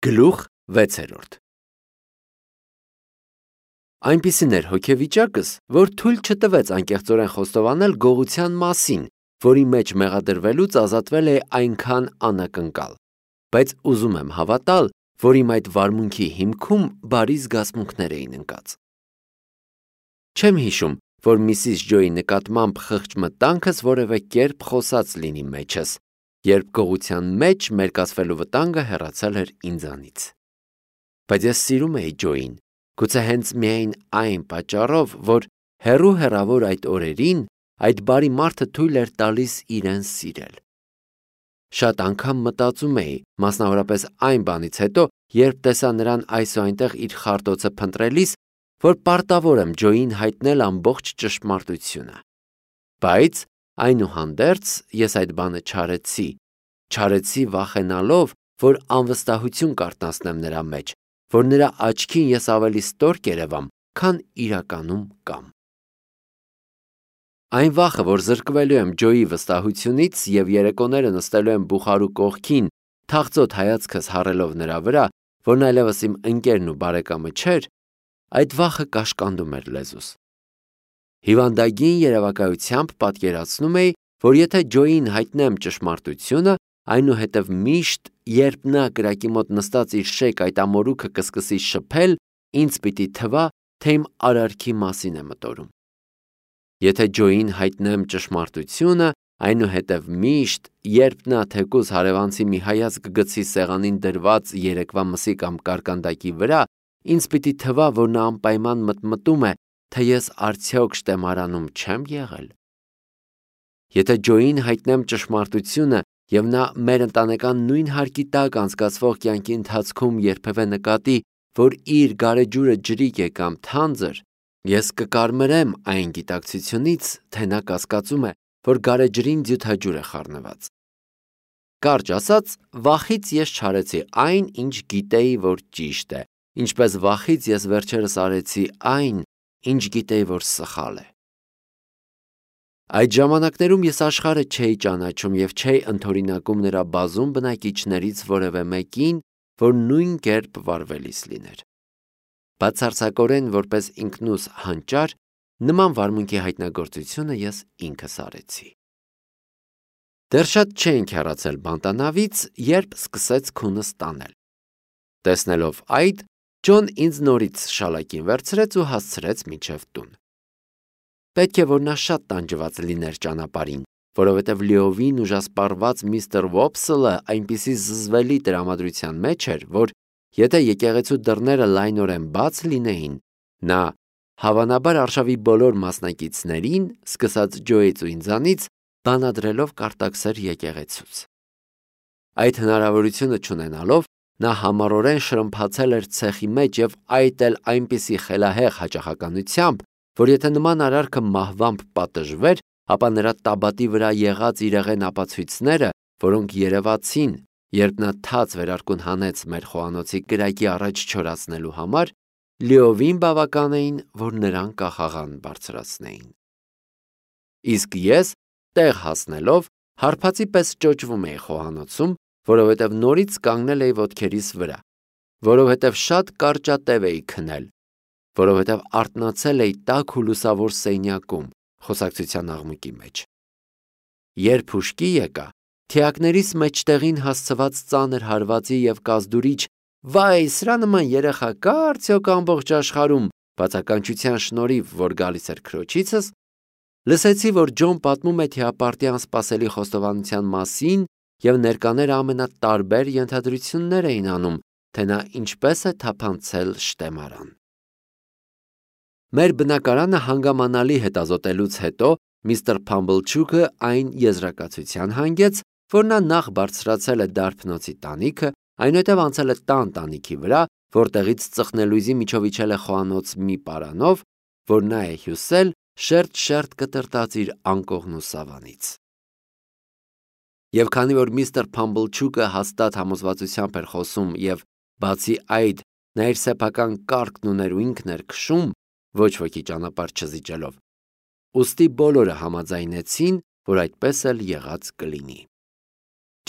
Գլուխ 6. Այնպիսին էր հոգեվիճակս, որ թույլ չտվեց անկեղծորեն խոստովանել գողության մասին, որի մեջ մեղադրվելուց ազատվել է այնքան անակնկալ, բայց ուզում եմ հավատալ, որ իմ այդ վարմունքի հիմքում բարի զգացմունքներ էին ընկած։ Չեմ հիշում, որ Միսիս Ջոյի նկատմամբ խղճ մտանքս որևէ կերպ խոսած լինի մեջս, երբ գողության մեջ մերկացվելու վտանգը հեռացել էր ինձանից։ Բայց ես սիրում էի Ջոյին, գուցե հենց միայն այն պատճառով, որ հեռու-հեռավոր այդ օրերին այդ բարի մարդը թույլ էր տալիս իրեն սիրել։ Շատ անգամ մտածում էի, մասնավորապես այն բանից հետո, երբ տեսա նրան այս ու այնտեղ իր խարտոցը փնտրելիս, որ պարտավոր եմ Ջոյին հայտնել ամբողջ ճշմարտությունը։ Բայց այնուհանդերձ ես այդ բանը չարեցի վախենալով, որ անվստահություն կարթնացնեմ նրա մեջ, որ նրա աչքին ես ավելի ստոր կերևամ, քան իրականում կամ։ Այն վախը, որ զրկվելու եմ Ջոյի վստահությունից և երեկոները նստելու եմ բուխարու կողքին, թախծոտ հայացքս հառելով նրա վրա, որն այլևս իմ ընկերն ու բարեկամը չէր, այդ վախը կաշկանդում էր լեզուս։ Հիվանդագին երևակայությամբ պատկերացնում էի, որ եթե Ջոյին հայտնեմ ճշմարտությունը, այնուհետև միշտ, երբ նա կրակի մոտ նստած իր շեք այդ ամորուքը կսկսի շփել, ինձ պիտի թվա, թե իմ արարքի մասին է մտորում։ Եթե Ջոյին հայտնեմ ճշմարտությունը, այնուհետև միշտ, երբ նա թեկուզ հարևանցի մի հայացք գցի սեղանին դրված երեկվա մսի կամ կարկանդակի վրա, ինձ պիտի թվա, որ նա անպայման մտմտում է, թե ես արդյոք շտեմարանում չեմ եղել։ Եթե Ջոյին հայտնեմ ճշմարտությունը և նա մեր ընտանեկան նույն հարկի տակ անցկացվող կյանքի ընթացքում երբևէ նկատի, որ իր գարեջուրը ջրիկ է կամ թանձր, ես կկարմրեմ այն գիտակցությունից, թե նա կասկածում է, որ գարեջրին ձյութաջուր է խառնված։ Կարճ ասած, վախից ես չարեցի այն, ինչ գիտեի, որ ճիշտ է, ինչպես վախից ես վերջերս արեցի այն, ինչ գիտեի, որ սխալ է։ Այդ ժամանակներում ես աշխարհը չէի ճանաչում և չէի ընդօրինակում նրա բազում բնակիչներից որևէ մեկին, որ նույն կերպ վարվելիս լիներ։ Բացարձակորեն որպես ինքնուս հանճար, նման վարմունքի հայտնագործությունը ես ինքս արեցի։ Դեռ շատ չէինք հեռացել բանտանավից, երբ սկսեց քունս տանել։ Տեսնելով այդ, Ջոն ինձ նորից շալակին վերցրեց ու հասցրեց մինչև տուն։ Պետք է, որ նա շատ տանջված լիներ ճանապարհին, որովհետև լիովին ուժասպառված միստր Վոփսլը այնպիսի զզվելի տրամադրության մեջ էր, որ եթե եկեղեցու դռները լայնորեն բաց լինեին, նա հավանաբար արշավի բոլոր մասնակիցներին, սկսած Ջոյից ու ինձանից, բանադրելով կարտաքսեր եկեղեցուց։ Այդ հնարավորությունը չունենալով, նա համառորեն շրմփացել էր ցեխի մեջ և այդ էլ այնպիսի խելահեղ հաճախականությամբ, որ եթե նման արարքը մահվամբ պատժվեր, ապա նրա տաբատի վրա եղած իրեղեն ապացույցները, որոնք երևացին, երբ նա թաց վերարկուն հանեց մեր խոհանոցի կրակի առաջ չորացնելու համար, լիովին բավական էին, որ նրան կախաղան բարձրացնեին։ Իսկ ես, տեղ հասնելով, հարբածի պես ճոճվում էի խոհանոցում, որովհետև նորից կանգնել էի ոտքերիս վրա, որովհետև շատ կարճատև էի քնել, որովհետև արթնացել էի տաք ու լուսավոր սենյակում, խոսակցության աղմուկի մեջ։ Երբ հուշկի եկա, թիակներիս մեջտեղին հասցված ծանր հարվածի և կազդուրիչ «Վայ, սրա նման երեխա կա՞ արդյոք ամբողջ աշխարհում» բացականչության շնորհիվ, որ գալիս էր քրոջիցս, լսեցի, որ Ջոն պատմում է թիապարտի անսպասելի խոստովանության մասին և ներկաները ամենատարբեր ենթադրություններ էին անում, թե նա ինչպես է թափանցել շտեմարան։ Մեր բնակարանը հանգամանալի հետազոտելուց հետո միստր Փամբլչուկը այն եզրակացության հանգեց, որ նա նախ բարձրացել է դարբնոցի տանիքը, այնուհետև անցել է տան տանիքի վրա, որտեղից ծխնելույզի միջով իջել է խոհանոց մի պարանով, որ նա է հյուսել շերտ-շերտ կտրտած իր անկողնու սավանից։ Եվ քանի որ միստր Փամբլչուկը հաստատ համոզվածությամբ էր խոսում և, բացի այդ, նա իր սեփական կառքն ուներ ու ինքն էր քշում, ոչ ոքի ճանապարհ չզիջելով, ուստի բոլորը համաձայնեցին, որ այդպես էլ եղած կլինի։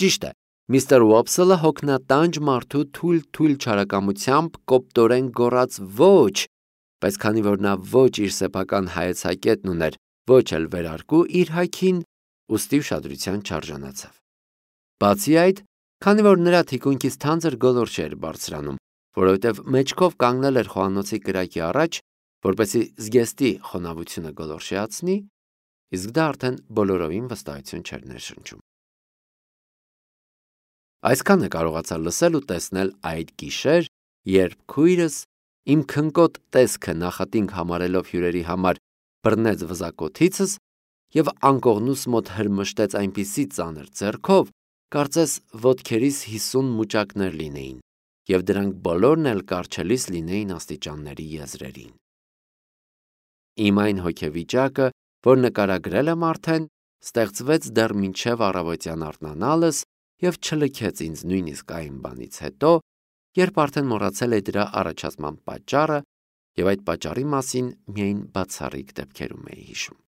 Ճիշտ է, Միսթր Ուոփսելը հոգնատանջ մարդու թույլ չարակամությամբ կոպտորեն գոռաց ոչ, բայց քանի որ նա ոչ իր սեփական հայեցակետն ուներ, ոչ էլ վերարկու իր հայքին, ուստի ուշադրության չարժանացավ։ Բացի այդ, քանի որ նրա թիկունքից թանձր գոլորշ էր բարձրանում, որովհետև մեջքով կանգնել էր խոհանոցի կրակի առաջ, որպեսզի զգեստի խոնավությունը գոլորշիացնի, իսկ դա արդեն բոլորովին վստահություն չէր ներշնչում։ Այսքանը կարողացա լսել ու տեսնել այդ գիշեր, երբ քույրս իմ քնկոտ տեսքը նախատինք համարելով հյուրերի համար բռնեց վզակոթիցս և անկողնուս մոտ հրմշտեց այնպիսի ծանր ձեռքով, կարծես ոտքերիս 50 մուճակներ լինեին, և դրանք բոլորն էլ կառչելիս լինեին աստիճանների եզրերին։ Իմ այն հոգեվիճակը, որ նկարագրել եմ արդեն, ստեղծվեց դեռ մինչև առավոտյան արթնանալս և չլքեց ինձ նույնիսկ այն բանից հետո, երբ արդեն մոռացել էի դրա առաջացման պատճառը և այդ պատճառի մասին միայն բացառիկ դեպքերում էի հիշում։